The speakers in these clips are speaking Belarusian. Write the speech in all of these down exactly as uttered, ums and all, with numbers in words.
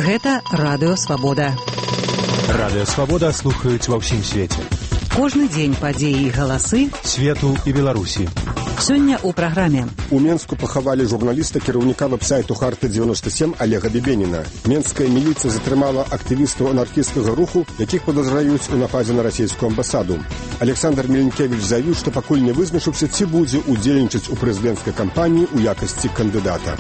Гэта Радыё Свабода. Радыё Свабода слухаюць ва ўсім свеце. Кожны дзень падзеі і галасы свету і Беларусі. Сёння ў праграме. У Менску пахавалі журналіста, кіраўніка вэб-сайту Харты дзевяносто сем Олега Бебеніна. Менская міліцыя затрымала актывістаў анархісцкага руху, якіх падазраюць у нападзе на расійскую амбасаду. Александр Меленкевич заявіў, што пакуль не вызначыўся, ці будзе удзельнічаць у прэзідэнцкай кампаніі ў якасці кандыдата.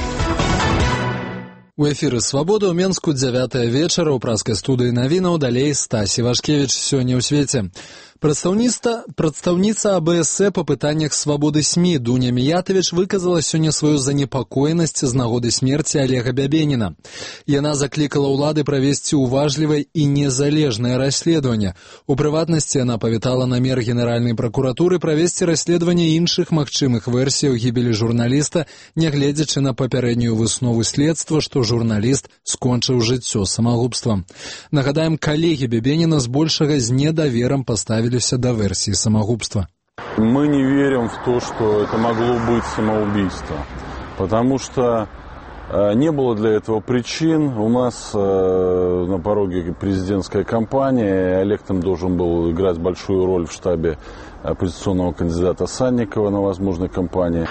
У эфіры «Свабода» ў Менску дзявятая вечара ў праскай студыі навінаў, далей Стась Івашкевіч сёння ў свеце. Прадстаўніца, прадстаўніца А Бэ Эс Э па пытаннях свабоды СМІ Дуня Міятавіч выказала сёння сваю занепакоенасць з нагоды смерці Олега Бебеніна. Яна заклікала ўлады правесці уважлівае і незалежнае расследаванне. У прыватнасці яна павітала намер Генеральнай пракуратуры правесці расследаванне іншых магчымых версіяў гібелі журналіста, нягледзячы на папярэднюю выснову следства, што журналіст скончыў жыццё самагубствам. Нагадаем, калегі Бебеніна збольшага з недаверам паставіліся до версии самогубства. Мы не верим в то, что это могло быть самоубийство, потому что э, не было для этого причин. У нас э, на пороге президентская кампания, и Олег там должен был играть большую роль в штабе оппозиционного кандидата Санникова на возможной кампании.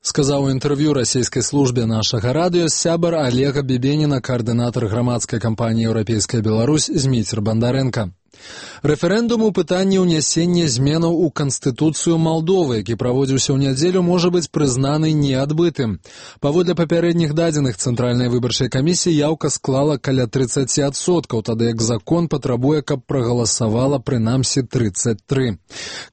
Сказаў у інтэрв'ю расійскай службе нашага радыё сябар Олега Бебеніна, каардынатар грамадскай кампаніі «Еўрапейская Беларусь» Зміцер Бандарэнка. Рэферэндум у пытанні ўнясення зменаў у Канстытуцыю Малдовы, які праводзіўся ў нядзелю, можа быць прызнаны неадбытым. Паводле папярэдніх дадзеных Цэнтральнай выбарчай камісіі яўка склала каля тридцать адсоткаў, тады як закон патрабуе, каб прагаласавала прынамсі тридцать три.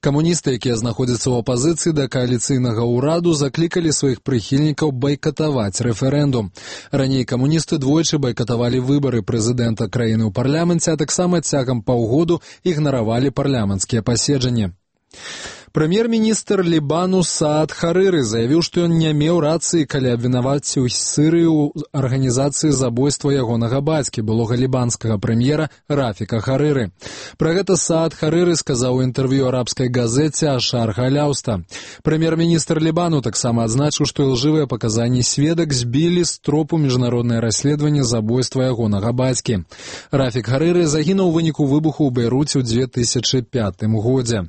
Камуністы, якія знаходзяцца ў апазіцыі да кааліцыйнага ўраду, заклікалі сваіх прыхільнікаў байкатаваць рэферэндум. Раней камуністы двойчы байкатавалі выбары прэзідэнта краіны ў парламенце, а таксама цягам паўгода ігнаравалі парламенцкія паседжанні. Прэм'ер-міністр Лібану Саад Харыры заявіў, што ён не меў рацыі, калі абвінаваціў Сырыю ў арганізацыі забойства ягонага бацькі, былога лібанскага прэм'ера Рафіка Харыры. Пра гэта Саад Харыры сказаў у інтэрв'ю арабскай газеце «Ашар Галяўста». Прэм'ер-міністр Лібану таксама адзначыў, што ілжывыя паказанні сведак збілі з тропу міжнароднае расследаванне забойства ягонага бацькі. Рафік Харыры загінуў у выніку выбуху ў Бейруце ў две тысячы пятым годзе.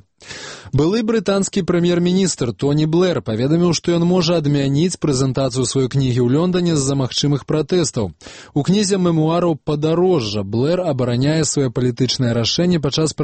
Былы брытанскі прэм'ер-міністр Тоні Блэр паведаміў, што ён можа адмяніць прэзентацыю сваёй кнігі ў Лондоне з-за магчымых пратэстаў. У кнізе мемуараў «Падарожжа» Блэр абараняе свае палітычнае рашэнне падчас